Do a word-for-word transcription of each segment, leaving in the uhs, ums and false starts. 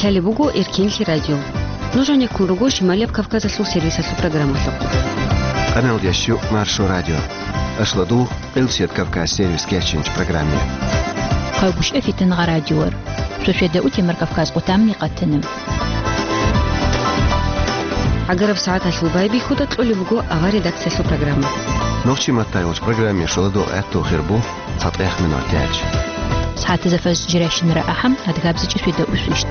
Гьале буго Эркенлъи радио. Нуж гӀенеккун руго Шималияб Кавказалъул сервисалъул программалъухъ. Къаналда щук Маршо радио. Ашладу Къилсият Кавказ сервис кечинч программе. Хъавгуш эфитан гъа радиор. Шошеда утемар Кавказ къутамни къатана. ГӀагараб сагӀаталъул байбихьуда кьолеб буго авар редакциялъул программа. Нохчи маттайолч программе шоладо гӀатту хирбу. ЦатӀехъ минутач. СагӀатазда фаз жиращинара ахӀам, адгабзичӀи свида усвищт.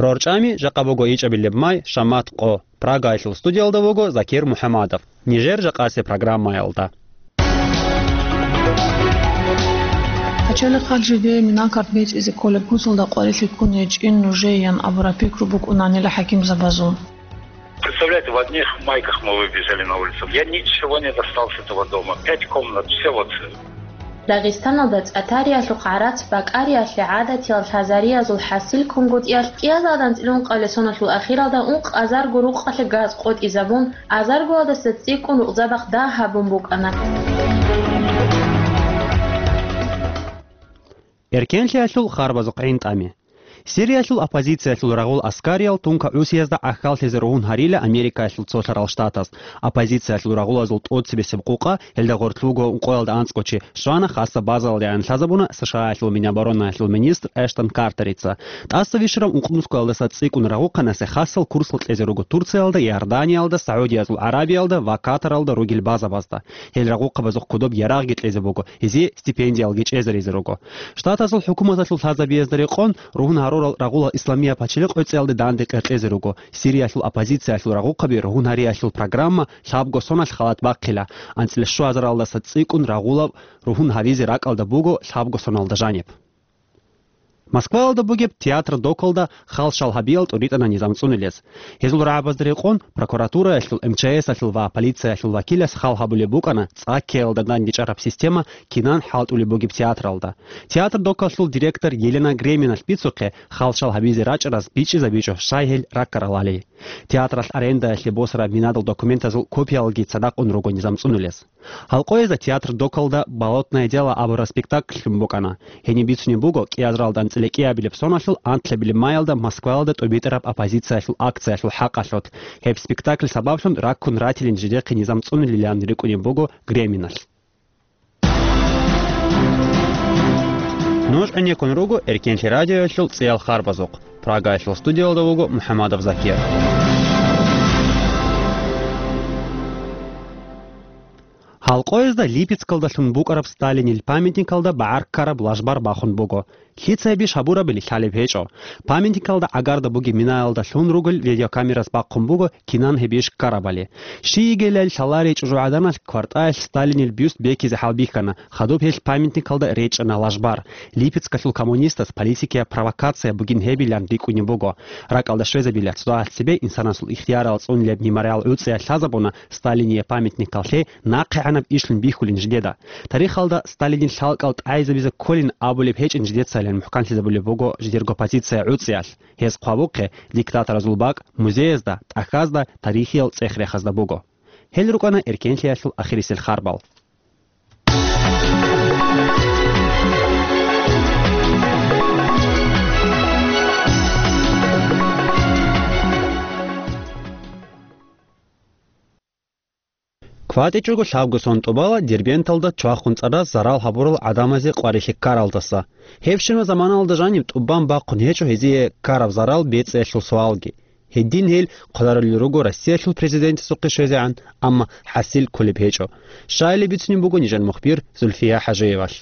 РорчӀами жакъа буго ичӀабилеб май, шамат къо. Прагаялъул студиялда вуго Закир МухӀамадов. Нижер жакъасе программаялда. Пачалихъал жидее минакарт бецӀизе кколеб куцалда къварилъи ккун гьечӀин нужеян абураб пикру букӀунанила хӀакимзабазул. Представляете, в одних майках мы выбежали на улицу. Я ничего не достал с этого дома. Пять комнат, все вот. Дагъистаналда цӀатариялъухъ гӀарац бакӀариялъе гӀадатиял лъазариязул хӀасил кунгутӀиялъ кӀиазда анцӀила ункъабилеб соналъул ахиралда ункъазарго рукъалъе газ къотӀизабун, азаргоялдаса цӀикӀкӀун рукъзабахъ дагь гьабун букӀана. Эркенлъиялъул харбазухъ гӀинтӀами. Сириялъул оппозициялъул рагъул аскариял тунка ГӀусиязда гӀахьаллъизе ругьун гьарила Америкаялъул цолъарал штатаз. Оппозициялъул рагъулазул тӀоцебесеб къукъа, гьелда гъорлъ буго ункъоялда анцӀго чи, щвана хасаб базалде гӀан лъазабуна СШАялъул Миноборонаялъул министр Эштон Картерица. ТӀаса вищараб ункънусгоялдаса цӀикӀкӀун рагъухъанасе хасал курсал кьезе руго Турциялда, Иорданиялда, СагӀудиязул ГӀарабиялда ва Катаралда ругел базабазда. Гьел рагъухъабазухъ кодоб ярагъги кьезе буго, гьезие стипендиялги чӀезаризе руго. Штатазул хӀукуматалъул лъазабиязда рекъон, ругьун гьарурал рагъулал исламияб пачалихъ гӀуцӀиялде данде къеркьезе руго. Сириялъул оппозициялъул рагъухъаби ругьун гьариялъул программа лъабго соналъ халат бахъила. АнцӀила щуазаралдаса цӀикӀкӀун рагъулаб ругьун гьаризе ракӀалда буго лъабго соналда жаниб. Москваялда бугеб театр Докалда халщал гьабиял тӀуритӀана низам цӀунулез. Гьезул рагӀабазда рекъон прокуратураялъул, МЧС-алъул ва полициялъул вакилас хал гьабулеб букӀана цӀа ккеялда дандечӀараб система кинан хӀалтӀулеб бугеб театралда. Театр Докалъул директор Елена Греминалъ бицухъе, халщал гьабизе рачӀараз бичӀчӀизабичӀо, щай гьел раккарал гьали. Театралъ арендаялъе босараб минадал документазул копиялги цадахъ ун руго низам цӀунулез. Гьалкъоязда театр Докалда «Болотное дело» абураб спектакль лъун букӀана. Гьениб бицунеб буго кӀиазаралда анцӀила кӀиабилеб соналъул анлъабилеб маялда Москваялда тӀубитӀараб оппозициялъул акциялъул хӀакъалъулъ. Гьеб спектакль сабаблъун раккун ратилин жидехъе низам цӀунулилан рикӀкӀунеб буго Греминалъ. Нуж гӀенеккун руго Эркенлъи радиоялъул цӀиял харбазухъ. Прагаялъул студиялда вуго МухӀамадов Закир. Гьалкъоязда Липецкалдалъун букӀараб Сталинил памятникалда багӀар ккараб лажбар бахун буго. Лъица гьеб иш гьабурабали лъалеб гьечӀо. Памятникалда гӀагарда бугеб минаялда лъун ругел видеокамерас бахъун буго кинан гьеб иш ккарабали. Щий йигелали лъаларей чӀужугӀаданалъ квартӀаялъ Сталинил бюст бекизе хӀалбихьана, хадуб гьелъ памятникалда речӀчӀана лажбар. Липецкалъул коммунистас политикияб провокация бугин гьебилан рикӀкӀунеб буго. РакӀалда щвезабила цо дагьалъ цебе инсанасул ихтиярал цӀунулеб мемориал гӀуцӀиялъ лъазабуна Сталиния памятникаллъе нахъегӀанаб ишлъун бихьулин жидеда. Тарихалда Сталинил лъалкӀал тӀагӀизабизе кколин абулеб гьечӀин жидецайилан мухӀканлъизабулеб буго жидерго позиция гӀуцӀиялъ. Гьез хъвабухъе диктаторазул бакӀ музеязда, тӀахьазда, тарихиял цӀех-рехазда буго. Гьел рукӀана Эркенлъиялъул ахирисел харбал. КватӀичӀого лъабго сон тӀубала Дербенталда чвахун цӀараз зарал гьабурал гӀадамазе къварилъи ккаралдаса. Гьебщинаб заманалда жаниб тӀубан бахъун гьечӀо гьезие ккараб зарал бецӀиялъул суалги. Гьедин гьел хъварулел руго Россиялъул президентасухъе щвезегӀан, амма хӀасил кколеб гьечӀо. Щайилеб бицунеб буго нижер мухбир Зульфия ХӀажиевалъ.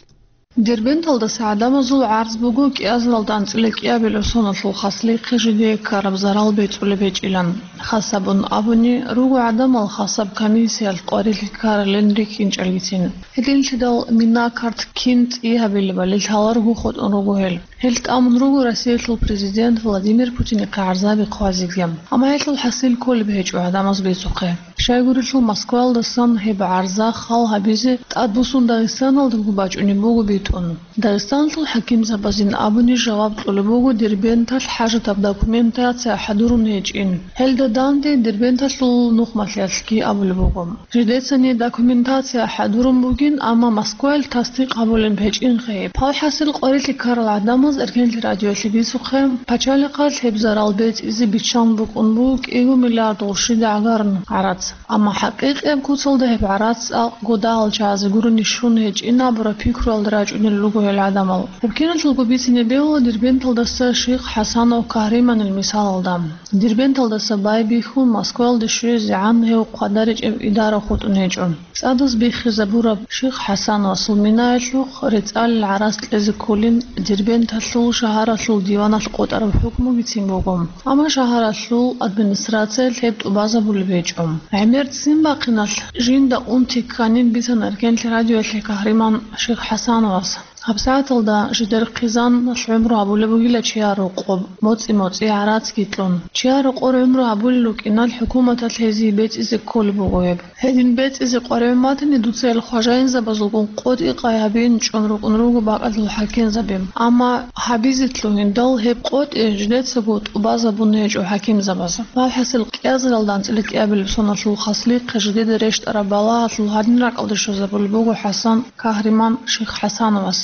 Дербенталдаса гӀадамазул гӀарз буго кӀиазаралда анцӀила кӀиабилеб соналъул хаслихъе жидее ккараб зарал бецӀулеб гьечӀилан. Хасабун абуни, руго гӀадамал хасаб комиссиялъ къварилъи ккаралин рихьинчӀелгицин. Гьединлъидал минакарт кин цӀи гьабилебали лъаларого хутӀун руго гьел. Гьел тӀамун руго Россиялъул президент Владимир Путинихъе гӀарзаби хъвазеги. Амма гьелъул хӀасил кколеб гьечӀо гӀадамаз бецухъе. Щайгурелъул Москваялдасан гьеб гӀарза хал гьабизе тӀадбуссун Дагъистаналдаго бачӀунеб буго тун. Дагъистанлъул хӀакимзабазин абуни жаваб кьолеб буго Дербенталъ хӀажатаб документация хӀадурун гьечӀин. Гьелда данде Дербенталъул нухмалъиялъги абулеб буго. Жидецани документация хӀадурун бугин, амма Москваялъ тасдикъ гьабулеб гьечӀинха гьеб. Гьалхьасил къварилъи ккарал гӀадамаз Эркенлъи радиоялъе бицухъе, пачалихъалъ гьеб зарал бецӀизе биччан букӀун буго кӀиго миллиард гъурщида гӀагарун гӀарац. Амма хӀакъикъияб куцалда гьеб гӀарац цӀакъго дагьал чагӀазе гурони щун гьечӀин абураб пикруялда рачӀунел руго гьел гӀадамал. Гьеб киналъулго бицине бегьула Дербенталдаса Шихъ ХӀасанов Кагьриманил мисалалда. Дербенталдаса байбихьун Москваялде щвезегӀан гьев хъвадаричӀеб идара хутӀун гьечӀо. ЦӀадаз биххизабураб Шихъ ХӀасановасул минаялъухъ рецӀалил гӀарац кьезе кколин Дербенталъул шагьаралъул диваналъ къотӀараб хӀукму бицин буго, амма шагьаралъул администрациялъ гьеб тӀубазабулеб гьечӀо. ГӀемер ццин бахъиналъ жинда унти кканин бицана Эркенлъи радиоялъе Кагьриман Шихъ ХӀасановас. ГьабсагӀаталда жидер хъизаналъ гӀумру гьабулеб бугила чияр рокъоб, моцӀи-моцӀи гӀарацги кьун. Чияр рокъор гӀумру гьабулел рукӀиналъ хӀукуматалъ гьезие бецӀизе кколеб буго гьеб. Гьедин бецӀизе къваригӀун батани, дуца гьел хважаинзабазулгун къотӀи къай гьабиин чӀун рукӀун руго бакӀалъул хӀакимзаби. Амма гьабизе лъугьиндал гьеб къотӀи жидецаго тӀубазабун гьечӀо хӀакимзабаз. ВалхӀасил кӀиазаралда анцӀила кӀиабилеб соналъул хаслихъе жидеда рещтӀараб балагьалъул гьадин ракӀалде щвезабулеб буго ХӀасан Кагьриман Шихъ ХӀасановас.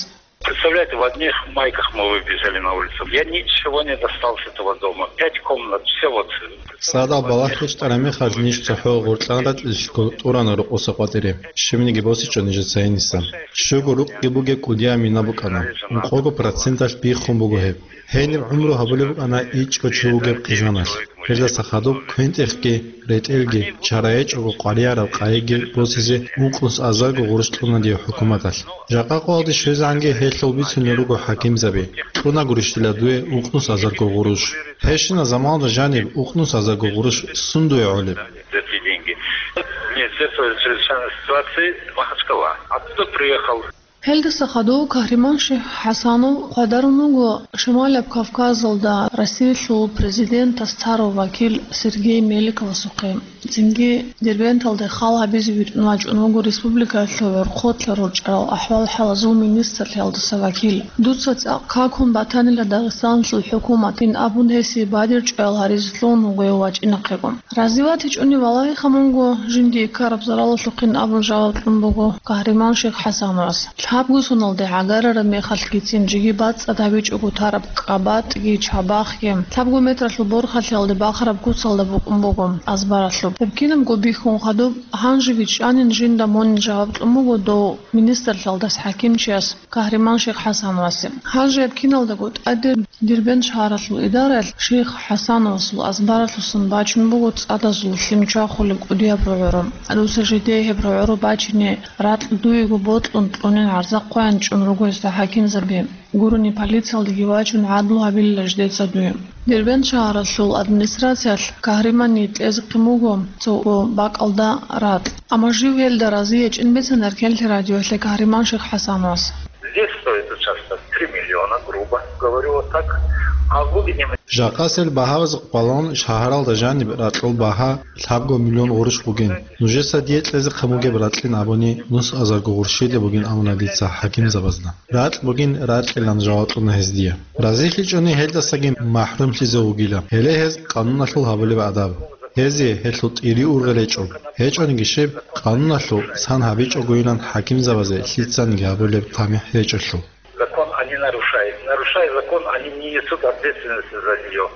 Представляете, в одних майках мы выбежали на улицу. Я ничего не достал с этого дома. Пять комнат, все вот. ЦӀадал балагь рещтӀараб мехалъ ниж цохӀо гъоркьан ратӀлилъго тӀурана рокъоса къватӀире. Щибниги босичӀо нижеца гьениса. Щуго рукъги бугеб кӀудияб мина букӀана. Ункъого проценталъ биххун буго гьеб. Гьениб гӀумру гьабулеб букӀана ичӀго чи вугеб хъижаналъ. Гьелдаса хадуб квен-тӀехги, ретӀелги, чара гьечӀого къваригӀараб къайиги босизе ункънус азарго гъурущ кьуна дие хӀукуматалъ. Жакъа къоялде щвезегӀанги гьелъул бицунел руго хӀакимзаби. Кьуна гурищ дила дуе ункънус азарго гъурущ. Гьебщинаб заманалда жаниб ункънус азарго гъурущ сун дуе гӀолеб? За эти деньги. Министерство чрезвычайной ситуации Махачкала. Оттуда приехал. Гьелдаса хадув Кагьриман Шихъ ХӀасанов хъвадарун вуго Шималаб Кавказалда Россиялъул президентас царав вакил Сергей Меликовасухъе. Цинги Дербенталде хал гьабизе витӀун вачӀун вуго республикаялъул гӀорхъолъа рорчӀарал ахӀвал-хӀалазул министрлъиялдаса вакил. Дуца цӀакъ какун батанила Дагъистаналъул хӀукуматин абун гьесие бадиб чӀваял гьаризе лъугьун вуго гьев вачӀинахъего. РазиватичӀони валагьиха мунго жиндие ккараб заралалъухъин абун жаваб кьун буго Кагьриман Шихъ ХӀасановас. Лъабго соналде гӀагарараб мехалъгицин жеги бацӀцӀад гьабичӀого тараб кӀабатӀги чабахъги, лъабго метралъул борхалъиялде бахараб куцалда букӀун буго азбаралъуб. Гьеб кинабго бихьун хадуб, гьанже бичӀчӀанин жинда мун жаваб кьун буго дов министрлъиялдаса хӀакимчияс Кагьриман Шихъ ХӀасановасе. Гьанже гьеб киналдаго тӀаде Дербент шагьаралъул идараялъ Шихъ ХӀасановасул азбаралъусан бачун буго цӀадазул лъим чвахулеб кӀудияб рогӀоро. Дуца жидее гьеб рогӀоро бачине ракь дуего бокьун кьунин гӀарза хъваян чӀун руго гьесда хӀакимзаби. Гурони полициялдеги вачун гӀадлу гьабилила жидеца дуе. Дербент шагьаралъул администрациялъ Кагьриманни кьезехъин буго цо бакӀалда ракь. Амма жив гьелда разиячӀин бицана Эркенлъи радиоялъе Кагьриман Шихъ ХӀасановас. Здесь стоит участок три миллиона, грубо говорю вот так. А в глубине мы Жакъасел багьабаз къвалан шагьаралда жаниб ракьул багьа лъабго миллион гъурущ бугин. Нужеца дие кьезехъин бугеб ракьин абуни, нус азарго гъурщиде бугин абуна дица хӀакимзабазда. Ракь бугин ракьилан жаваб кьуна гьез дие. РазилъичӀони гьелдасаги махӀрумлъизе вугила. Гьеле гьез къануналъул гьабулеб адаб. Гьезие гьелъул тӀири-ургъел гьечӀо. ГьечӀониги щиб, къануналъул сан гьабичӀогойилан хӀакимзабазе лъицаниги гьабулеб тамихӀ гьечӀолъул. Закон они нарушают. Нарушая закон, они не несут ответственности за нее.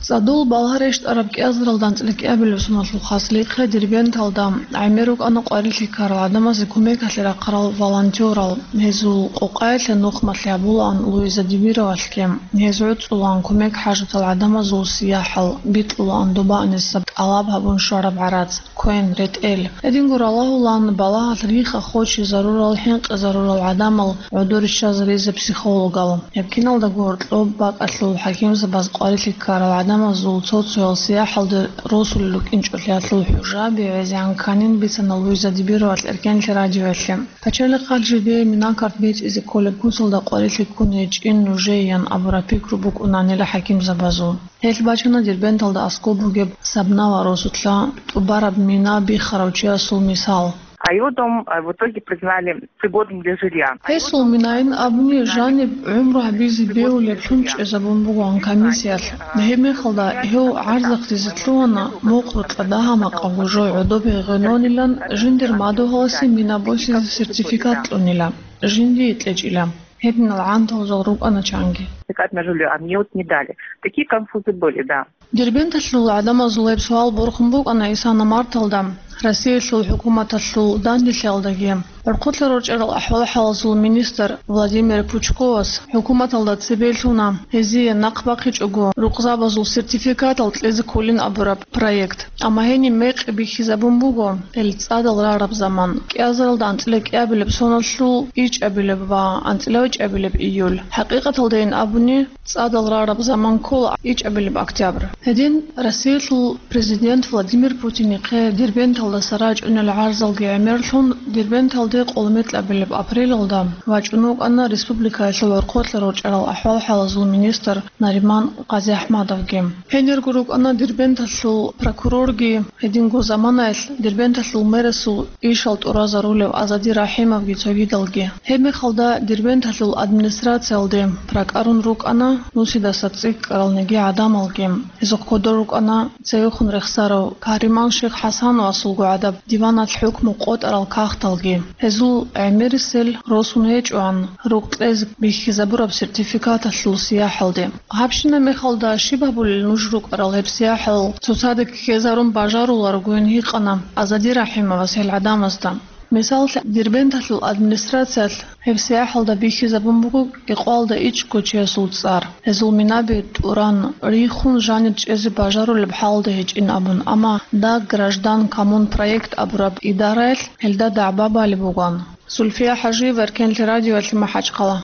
ЦӀадул балагь рещтӀараб кӀиазаралда анцӀила кӀиабилеб соналъул хаслихъе Дербенталда гӀемер рукӀана къварилъи ккарал гӀадамазе кумекалъе рахъарал волонтёрал. Гьезул къокъаялъе нухмалъи гьабулаан Луиза Дибировалъги. Гьез гӀуцӀулаан кумек хӀажатал гӀадамазул сияхӀал, битӀулаан доба аниса тӀалаб гьабун щвараб гӀарац, квен, ретӀел. Гьединго ралагьулаан балагьалъ рихха-хоче зарурал, хӀинкъи зарурал гӀадамал гӀодор риччазаризе психологал. Гьеб киналдаго гьоркьоб бакӀалъул хӀакимзабаз къварилъи ккарал гӀадамазул цо-цоял сияхӀалде росулел рукӀинчӀолъиялъул хӀужаби гӀезегӀан кканин бицана Луиза Дибировалъ Эркенлъи радиоялъе. Пачалихъалъ жидее минакарт бецӀизе кколеб куцалда къварилъи ккун гьечӀин нужееян абураб пикру букӀунанила хӀакимзабазул. Гьелъ бачана Дербенталда аскӀоб бугеб Сабнава росулъа тӀубараб мина биххарав чиясул мисал. А его дом, а, в итоге признали пригодным для жилья. Гьесул минаин абуни жаниб гӀумру гьабизе бегьулеблъун чӀезабун бугоан комиссиялъ. Гьеб мехалда гьев гӀарзахъ дизе лъугьана, мухъ букьа дагьа-макъабго жо гӀодобе гъенонилан, жиндир мадугьаласе мина босизе сертификат кьунила, жиндие кьечӀила. Гьединал гӀантал жал рукӀана чанги. Сертификат на жильё, а мне вот не дали. Такие конфузы были, да. Дербенталъул гӀадамазул гьеб суал борхун букӀана исана марталда Россиялъул хӀукуматалъул данделъиялдаги. ГӀурхъулъа рорчӀарал ахӀвал-хӀалазул министр Владимир Пучковас хӀукуматалда цебе лъуна, гьезие нахъ бахъичӀого рукъзабазул сертификатал кьезе кколин абураб проект. Амма гьениб мекъи бихьизабун буго, гьел цӀадал рараб заман, кӀиазаралда анцӀила кӀиабилеб соналъул ичӀабилеб ва анцӀила ичӀабилеб июль. ХӀакъикъаталдайин абуни, цӀадал рараб заман ккола ичӀабилеб октябрь. Гьедин Россиялъул президент Владимир Путинихъе Дербенталдаса рачӀунел гӀарзалги гӀемерлъун, Дербенталде къоло метлабилеб апрелалда вачӀун вукӀана республикаялъул гӀурхъулъа рорчӀарал ахӀвал-хӀалазул министр Нариман Къазиахмадовги. Гьенирго рукӀана Дербенталъул прокурорги, гьединго заманаялъ Дербенталъул мэрасул ишал тӀуразарулев Азади Рахимовги цогидалги. Гьеб мехалда Дербенталъул администрациялде прокӀарун рукӀана нусидаса цӀикӀкӀарал неги гӀадамалги. Гьезухъ кодор рукӀана цевехун рехсарав Кариман Шиххасановасулго гӀадаб диваналъ хӀукму къотӀарал кагъталги. Гьезул гӀемерисел росун гьечӀоан рукъ кьезе бихьизабураб сертификаталъул сияхӀалде. Гьабщина мехалда щиб гьабулел нуж рукӀарал гьеб сияхӀал цоцазда ккезарун бажаруларогойин гьикъана Азади Рахимовас гьел гӀадамазда. Мисалалъ, Дербенталъул администрациялъ гьеб сияхӀалда бихьизабун буго кӀикъоялда ичӀго чиясул цӀар. Гьезул минаби тӀуран, рихун жанир чӀезе бажарулеб хӀалда гьечӀин абун, амма «Даг граждан» коммун проект абураб идараялъ гьелда дагӀба балеб бугоан. Зульфия ХӀажиева, Эркенлъи радиоялъе, МахӀачхъала.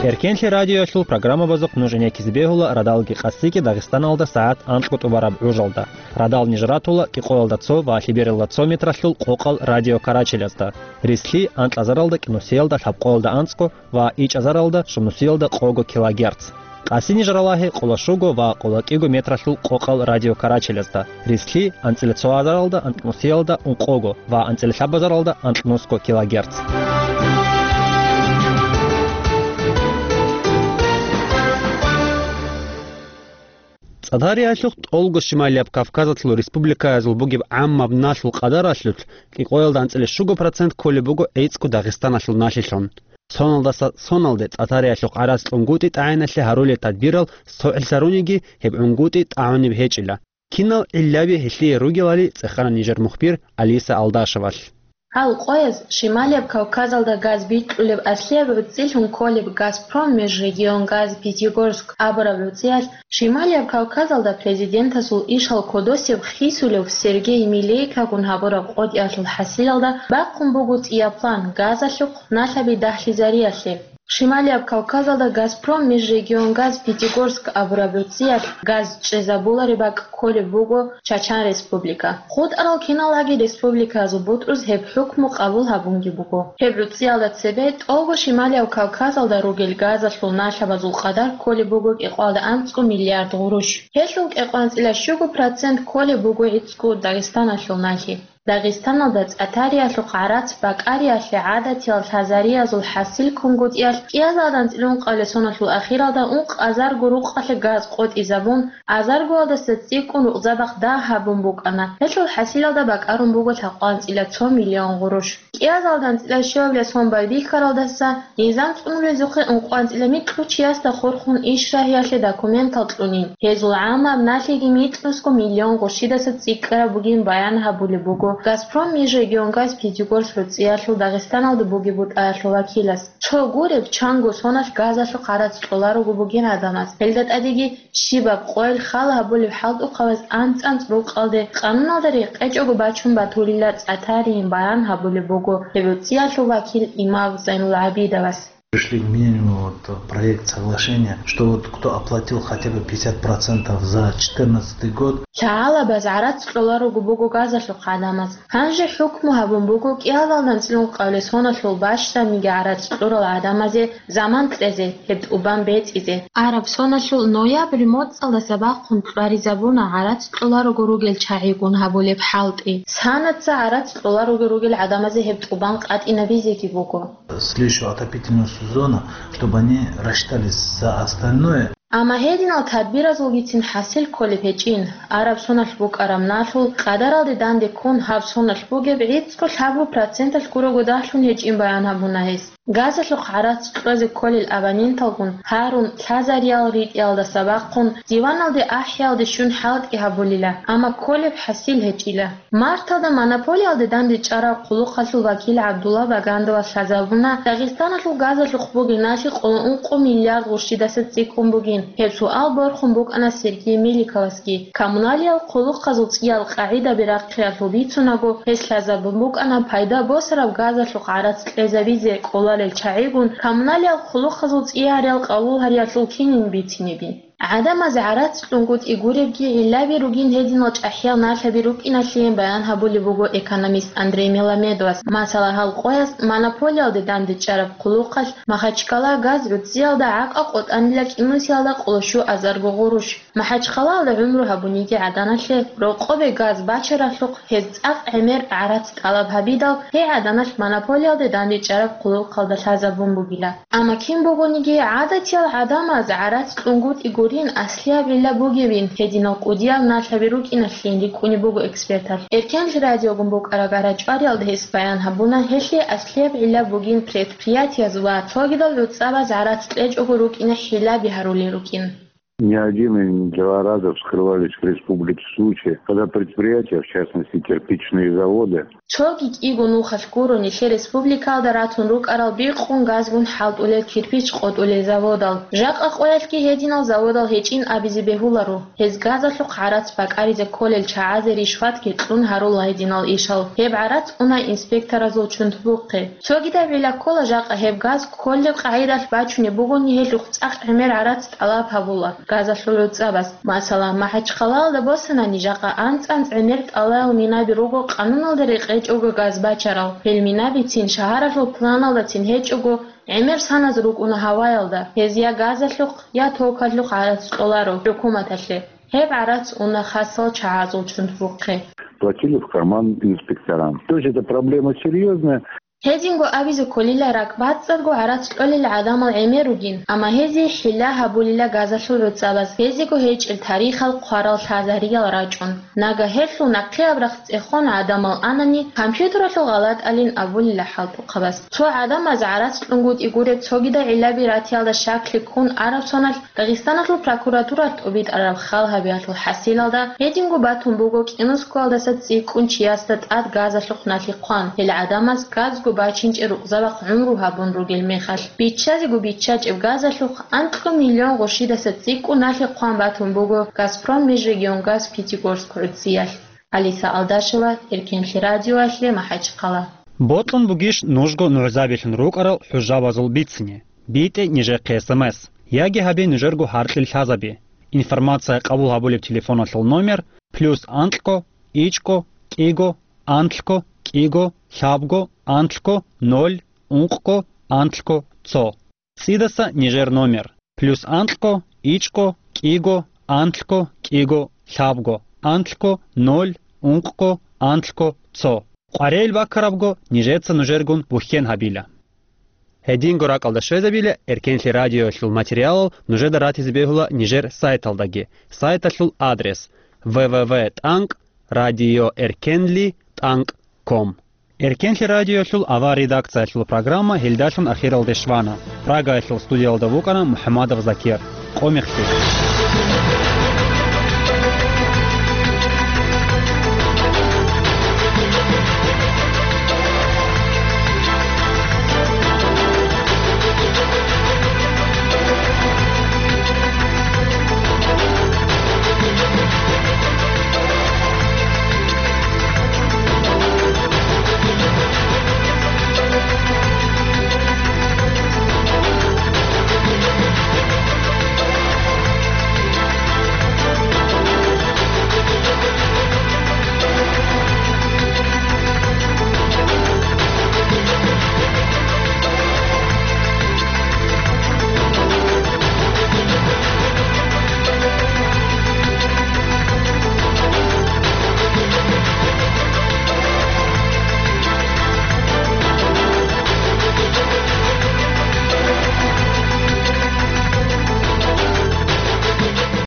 Эркенлъи радиоялъул программабазухъ нуж гӀенеккизе бегьула радалги къасиги Дагъистаналда сагӀат анкьго тӀубараб гӀужалда. Радал ниж ратула кӀикъоялда цо ва лъебералда цо метралъул къокъал радиокарачелазда, рислъи анкьазаралда кӀинусиялда лъабкъоялда анцӀго ва ичӀазаралда щунусиялда къого килогерц. Къаси ниж ралагье къоло щуго ва къоло кӀиго метралъул къокъал радиокарачелазда, рислъи анцӀила цо азаралда анкьнусиялда ункъого ва анцӀила лъабазаралда анкьнусго килогерц. ЦӀатариялъухъ тӀолго Шималияб Кавказалъул республикаязул бугеб гӀаммаб налъул къадаралъулъ кӀикъоялда анцӀила щуго процент кколеб буго гӀицӀго Дагъистаналъул налъилъун. Соналдаса соналде ЦӀатариялъухъ гӀарац кьунгутӀи тӀагӀиналъе гьарулел тадбирал согӀлъаруниги гьеб гӀунгутӀи тӀагӀунеб гьечӀила. Кинал гӀиллаби гьелъие ругелали цӀехана нижер мухбир Алиса Алдашевалъ. Гьал къояз Шималияб Кавказалда газ бикьулеб аслияб гӀуцӀилъун кколеб «Газпром межрегионгаз Пятигорск» абураб гӀуцӀиялъ Шималияб Кавказалда президентасул ишал кодосеб хисулев Сергей Милейкагун гьабураб къотӀиялъул хӀасилалда бахъун буго цӀия план газалъухъ налъаби дагьлъизариялъе. Шималияб Кавказалда «Газпром межрегионгаз Пятигорск» абураб гӀуцӀиялъ газ чӀезабулареб бакӀ кколеб буго Чачан Республика. ХутӀарал киналлаги республикаязул бутӀруз гьеб хӀукму къабул гьабунги буго. Гьеб гӀуцӀиялда цебе тӀолго Шималияб Кавказалда ругел газалъул налъабазул къадар кколеб буго кӀикъоялда анцӀго миллиард гъурущ. Гьелъул кӀикъоялда анцӀила щуго процент кколеб буго гӀицӀго Дагъистаналъул налъи. Дагъистаналда ЦӀатариялъухъ гӀарац бакӀариялъе гӀадатиял лъазариязул хӀасил кунгутӀиялъ кӀиазардан цӀилун къалесоналъул ахиралда ункъазарго рукъалъе газ къотӀизабун, азаргоялдаса цӀикӀкӀун рукъзабахъ дагь гьабун букӀана. Гьелъул хӀасилалда бакӀарун буго лъакъванцӀила цо миллион гъурущ. КӀиазардан цӀила щуабилеб сон байбихьаралдаса низам цӀунулезухъе ункъванцӀила микьу чиясда хурхун ишрагьиялъе документал кьунин. Гьезул гӀаммаб налъиги микьнусго миллион гъурщидаса цӀикӀкӀараб бугин баян гьабулеб буго «Газпром межрегионгаз Пятигорск» гӀуцӀиялъул Дагъистаналда бугеб бутӀаялъул вакилас. Цо гуреб, чанго соналъ газалъухъ гӀарац кьоларого бугин гӀадамаз. Гьелда тӀадеги щибаб къойил хал гьабулеб хӀалтӀухъабаз анцӀ-анцӀ рукъалде къануналда рекъечӀого бачун батулила ЦӀатарийин баян гьабулеб буго гьеб гӀуцӀиялъул вакил имам Зайнулгьабидовас. Пришли к мнению, вот, проект соглашения, что вот кто оплатил хотя бы пятьдесят процентов за четырнадцатый год. Лъагьалабаз гӀарац кьоларого буго газалъухъ гӀадамаз. Гьанже хӀукму гьабун буго кӀиялдалъун анцӀила ункъабилеб соналъул бащдабниги гӀарац кьурал гӀадамазе заман кьезе, гьеб тӀубан бецӀизе. Араб соналъул ноябрь моцӀалдаса бахъун кьваризабуна гӀарац кьоларого ругел чагӀигун гьабулеб хӀалтӀи. Санаца гӀарац кьоларого ругел гӀадамазе гьеб тӀубан къватӀинабизеги буго. Следующего отопительного сезона, чтобы они рассчитались за остальное. Амма гьединал тадбиразулгицин хӀасил кколеб гьечӀин. Араб соналъ букӀараб налъул къадаралде данде ккун гьаб соналъ бугеб гӀицӀго лъабго проценталъ гурого дагьлъун гьечӀин баян гьабуна гьес. Газалъухъ гӀарац кьезе кколел абоненталгун гьарун, лъазариял ритӀиялдаса бахъун, диваналде ахӀиялде щун хӀалтӀи гьабулила, амма кколеб хӀасил гьечӀила. Марталда монополиялде дандечӀараб хъулухъалъул вакил ГӀабдулла Багандова лъазабуна Дагъистаналъул газалъухъ бугеб налъи къоло ункъо миллиард гъурщидаса цӀикӀкӀун бугин. Гьеб суал борхун букӀана Сергей Меликовасги. Коммуналиял хъулухъазул цӀиял къагӀидаби рахъиялъул бицунаго, гьес лъазабун букӀана пайда босараб газалъухъ гӀарац кьезабизе кӀоларел чагӀигун коммуналиял хъулухъазул цӀиярал къабул гьариялъул кинин бициниби. ГӀадамазе гӀарац кьунгутӀи гуребги гӀиллаби ругин гьединал чӀахӀиял налъаби рукӀиналъейин баян гьабулеб буго экономист Андрей Меламедовас. Масала, гьал къояс монополиялде дандечӀараб хъулухъалъ Махачкала газ гӀуцӀиялда гӀакъа къотӀанила кӀинусиялда къоло щуазарго гъурущ. Махачкалаялда гӀумру гьабуниги гӀаданалъе, рокъобе газ бачаралъухъ гьез цӀакъ гӀемер гӀарац тӀалаб гьабидал, гьей гӀаданалъ монополиялде дандечӀараб хъулухъалда лъазабун бугила. Амма кин бугониги, гӀадатиял гӀадамаз гӀарац кьунгутӀи гурин аслияб гӀилла бугебин, гьединал кӀудиял налъаби рукӀиналъейин рикӀкӀунеб буго эксперталъ. Эркенлъи радиогун букӀараб гара-чӀвариялда гьес баян гьабуна, гьелъие аслияб гӀилла бугин предприятияз ва цогидал гӀуцӀабаз гӀарац кьечӀого рукӀине хӀилаби гьарулел рукӀин. Не один и не два раза вскрывались в республике случаи, когда предприятия, в частности кирпичные заводы, Цоги кӀиго нухалъ гуро нилъер республикаялда ратун рукӀарал бикъун газгун хӀалтӀулел кирпич къотӀулел заводал. Жакъа къоялъги гьединал заводал гьечӀин абизе бегьуларо. Гьез газалъухъ гӀарац бакӀаризе кколел чагӀазе ришватги кьун гьарула гьединал ишал. Гьеб гӀарац уна инспекторазул чунтбухъе. Цогидаб гӀилла ккола жакъа гьеб газ кколеб къагӀидалъ бачунеб бугони, гьелъухъ цӀакъ гӀемер гӀарац тӀалаб гьабула газалъул гӀуцӀабаз. Масала, Махачкалаялда босанани, жакъа анцӀ-анцӀ гӀемер тӀалабал минаби руго къануналда рекъечӀого газ бачарал. Гьел минабицин шагьаралъул планалдацин гьечӀого, гӀемер саназ рукӀуна гьаваялда, гьез я газалъухъ, я токалъухъ гӀарац кьоларо хӀукуматалъе. Гьеб гӀарац уна хасал чагӀазул чунтбухъе. Платили в карман инспекторам. То есть эта проблема серьёзная. Гьединго абизе кколила ракӀбацӀцӀадго гӀарац кьолел гӀадамал гӀемер ругин, амма гьезие хӀилла гьабулила газалъул гӀуцӀабаз, гьезиего гьечӀел тарихал хъварал лъазариял рачӀун. Нагагь гьелъул нахъе абрагь цӀехон гӀадамал анани, компьютералъул гъалатӀалин абулила хӀалтӀухъабаз. Цо гӀадамаз гӀарац кьунгутӀи гуреб цогидал гӀиллаби ратиялда щаклъи ккун араб соналъ Дагъистаналъул прокуратуралъ тӀубитӀараб хал гьабиялъул хӀасилалда, гьединго батун буго кӀинусгоялдаса цӀикӀкӀун чиясда тӀад газалъухъ налъи хъван, гьел гӀадамаз газго бачинчӀеб рукъзабахъ гӀумру гьабун ругел мехалъ. Биччазего биччачӀеб газалъухъ анкьго миллион гъурщидаса цӀикӀкӀун налъи хъван батун буго «Газпром межрегионгаз» Пятигорск гӀуцӀиялъ. Алиса Алдашева, Эркенлъи радиоялъе, Махачкъала. Бокьун бугищ нужго нугӀзабилъун рукӀарал хӀужабазул бицине? БитӀе нижехъе эс эм эс, яги гьабе нужерго гьаркьил лъазаби. Информация къабул гьабулеб телефоналъул номер: плюс анкьго, ичӀго, кӀиго, анлъго, кӀиго, лъабго, анлъго, ноль, ункъго, анлъго, цо. ЦӀидаса нижер номер: плюс анкьго, ичӀго, кӀиго, анлъго, кӀиго, лъабго, анлъго, ноль, ункъго, анлъго, цо. КъваригӀел баккарабго, нижеца нужергун бухьен гьабила. Гьединго ракӀалда щвезабила Эркенлъи радиоялъул материалал нужеда ратизе бегьула нижер сайталдаги. Сайталъул адрес: в в в тӀанкӀ радиоэркенли тӀанкӀ ком. Эркенлъи радиоялъул авар редакциялъул программа гьелдалъун ахиралде щвана. Прагаялъул студиялда вукӀана МухӀамадов Закир. Къо мехтир.